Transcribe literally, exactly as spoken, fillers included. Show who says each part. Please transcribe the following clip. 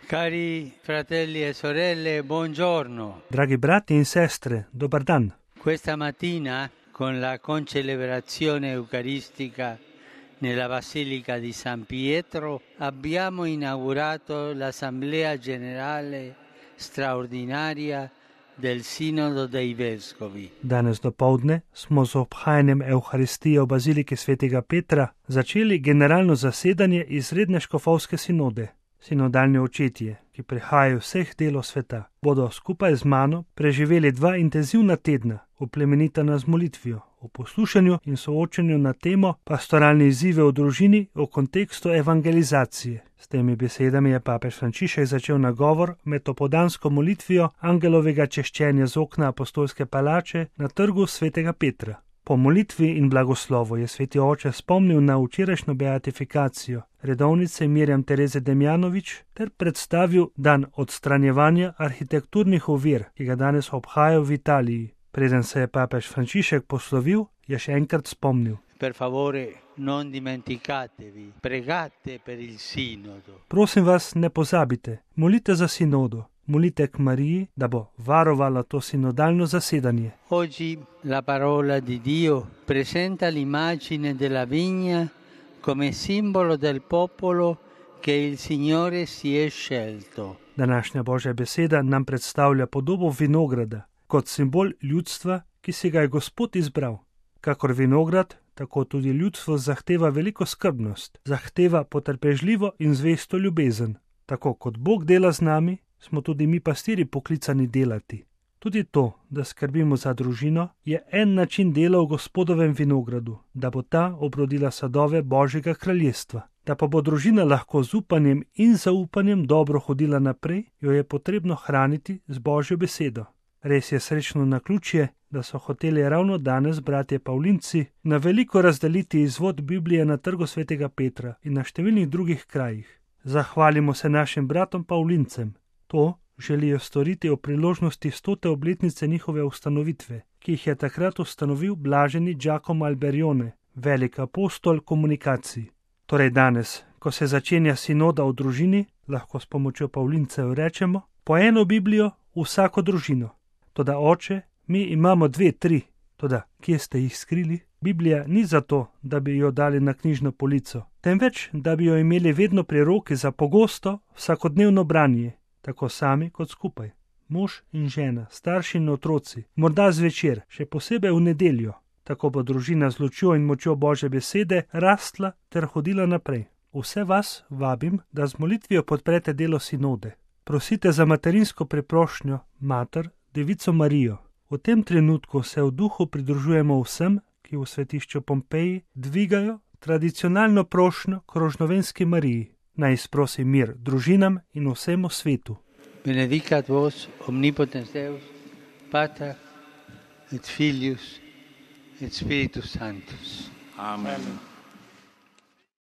Speaker 1: Cari fratelli e sorelle, buongiorno.
Speaker 2: Dragi brati in sestre, dobar dan.
Speaker 1: Questa mattina, con la concelebrazione eucaristica nella Basilica di San Pietro, abbiamo inaugurato l'Assemblea Generale straordinaria del Sinodo dei Vescovi.
Speaker 2: Danes dopoldne smo z obhajanjem Evharistije v Baziliki svetega Petra začeli generalno zasedanje izredne škofovske sinode. Sinodalni očetje, ki prihajajo vseh delov sveta, bodo skupaj z mano preživeli dva intenzivna tedna, oplemenitana z molitvijo, o poslušanju in soočenju na temo pastoralne izzive v družini v kontekstu evangelizacije. S temi besedami je papež Frančišek začel nagovor med opoldansko molitvijo angelovega češčenja z okna apostolske palače na trgu svetega Petra. Po molitvi in blagoslovu je sveti oče spomnil na včerajšnjo beatifikacijo redovnice Mirjam Tereze Demjanović ter predstavil dan odstranjevanja arhitekturnih ovir, ki ga danes obhajajo v Italiji. Preden se je papež Frančišek poslovil, je še enkrat spomnil.
Speaker 1: Per favore, non dimenticatevi, pregate per il sinodo.
Speaker 2: Prosim vas, ne pozabite, molite za sinodo. Molite k Mariji, da bo varovala to sinodalno zasedanje.
Speaker 1: Oggi la parola di Dio presenta l'immagine della vigna come simbolo del popolo che il Signore si è scelto.
Speaker 2: Današnja Božja beseda nam predstavlja podobo vinograda kot simbol ljudstva, ki si ga je Gospod izbral. Kakor vinograd, tako tudi ljudstvo zahteva veliko skrbnost, zahteva potrpežljivo in zvesto ljubezen. Tako kot Bog dela z nami, smo tudi mi pastiri poklicani delati. Tudi to, da skrbimo za družino, je en način dela v Gospodovem vinogradu, da bo ta obrodila sadove Božjega kraljestva. Da pa bo družina lahko z upanjem in zaupanjem dobro hodila naprej, jo je potrebno hraniti z Božjo besedo. Res je srečno naključje, da so hoteli ravno danes bratje Pavlinci na veliko razdeliti izvod Biblije na trgu svetega Petra in na številnih drugih krajih. Zahvalimo se našim bratom Pavlincem. To želijo storiti o priložnosti stote obletnice njihove ustanovitve, ki jih je takrat ustanovil blaženi Giacomo Alberione, velik apostol komunikacij. Torej danes, ko se začenja sinoda v družini, lahko s pomočjo Pavlincev rečemo, po eno Biblijo vsako družino. Toda oče, mi imamo dve, tri, toda kje ste jih skrili? Biblija ni zato, da bi jo dali na knjižno polico, temveč, da bi jo imeli vedno pri roki za pogosto, vsakodnevno branje. Tako sami kot skupaj. Mož in žena, starši in otroci, morda zvečer, še posebej v nedeljo. Tako bo družina z lučjo in močjo Božje besede rastla ter hodila naprej. Vse vas vabim, da z molitvijo podprete delo sinode. Prosite za materinsko preprošnjo mater, Devico Marijo. V tem trenutku se v duhu pridružujemo vsem, ki v svetišču Pompeji dvigajo tradicionalno prošnjo k Rožnovenski Mariji. Naj sprosi mir družinam in vsemu svetu.
Speaker 1: Benedicat vos omnipotens Deus, Pater et Filius et Spiritus Sanctus.
Speaker 3: Amen.